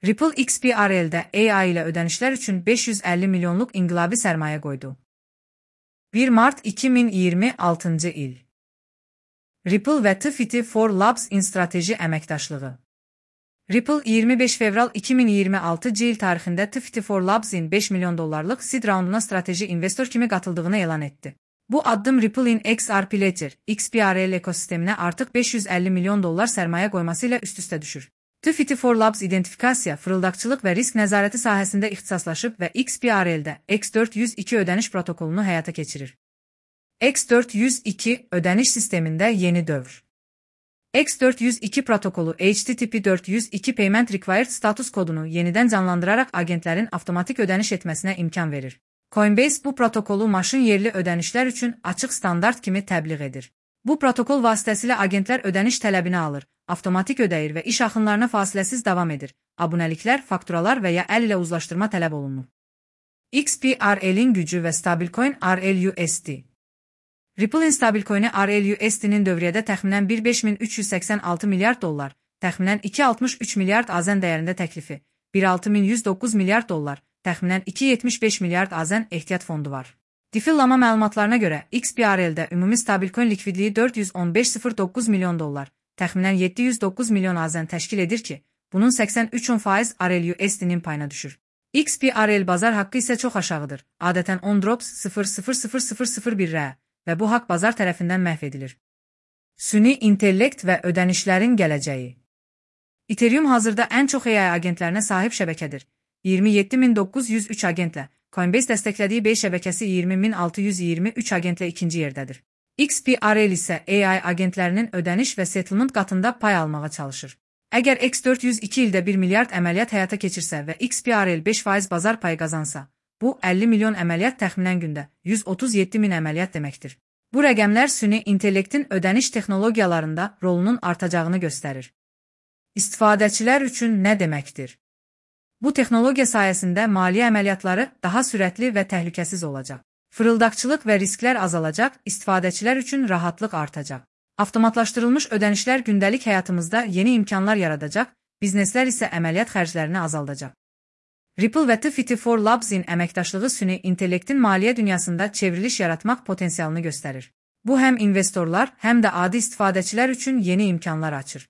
Ripple XBRL'də AI ilə ödənişlər üçün 550 milyonluq inqilabi sərmayə qoydu. 1 mart 2026 il. Ripple və T-Fit for Labs in strateji əməkdaşlığı. Ripple 25 fevral 2026 il tarixində T-Fit for Labs-in 5 milyon dollarlıq seed raunduna strateji investor kimi qatıldığını elan etdi. Bu addım Ripple'in XRP Ledger, XBRL ekosisteminə artıq 550 milyon dollar sərmayə qoyması ilə üst-üstə düşür. T-Fit for Labs identifikasiya, fırıldaqçılıq və risk nəzarəti sahəsində ixtisaslaşıb və XBRL-də X402 ödəniş protokolunu həyata keçirir. X402 ödəniş sistemində yeni dövr. X402 protokolu HTTP 402 Payment Required status kodunu yenidən canlandıraraq agentlərin avtomatik ödəniş etməsinə imkan verir. Coinbase bu protokolu maşın yerli ödənişlər üçün açıq standart kimi təbliğ edir. Bu protokol vasitəsilə agentlər ödəniş tələbini alır, avtomatik ödəyir və iş axınlarına fasiləsiz davam edir. Abunəliklər, fakturalar və ya əl ilə uzlaşdırma tələb olunur. XBRL-in gücü və stablecoin RLUSD. Ripple'in stablecoin'i RLUSD-nin dövriyyədə təxminən 15386 milyard dollar, təxminən 263 milyard AZN dəyərində təklifi, 16109 milyard dollar, təxminən 275 milyard AZN ehtiyat fondu var. Difillama məlumatlarına görə XBRL-də ümumi stablecoin likvidliyi 415,09 milyon dollar, təxminən 709 milyon AZN təşkil edir ki, bunun 83% RLUSD-nin payına düşür. XBRL bazar haqqı isə çox aşağıdır, adətən 10 drops 0,00001 və bu haqq bazar tərəfindən məhv edilir. Süni intellekt və ödənişlərin gələcəyi. Ethereum hazırda ən çox AI agentlərinə sahib şəbəkədir. 27903 agentlə, Coinbase dəstəklədiyi B şəbəkəsi 20623 agentlə ikinci yerdədir. XBRL isə AI agentlərinin ödəniş və settlement qatında pay almağa çalışır. Əgər X402 ildə 1 milyard əməliyyat həyata keçirsə və XBRL 5% bazar payı qazansa, bu 50 milyon əməliyyat təxminən gündə 137 min əməliyyat deməkdir. Bu rəqəmlər süni intellektin ödəniş texnologiyalarında rolunun artacağını göstərir. İstifadəçilər üçün nə deməkdir? Bu texnologiya sayəsində maliyyə əməliyyatları daha sürətli və təhlükəsiz olacaq. Fırıldaqçılıq və risklər azalacaq, istifadəçilər üçün rahatlıq artacaq. Avtomatlaşdırılmış ödənişlər gündəlik həyatımızda yeni imkanlar yaradacaq, bizneslər isə əməliyyat xərclərini azaldacaq. Ripple və T-Fit for Labs-in əməkdaşlığı süni intellektin maliyyə dünyasında çevriliş yaratmaq potensialını göstərir. Bu həm investorlar, həm də adi istifadəçilər üçün yeni imkanlar açır.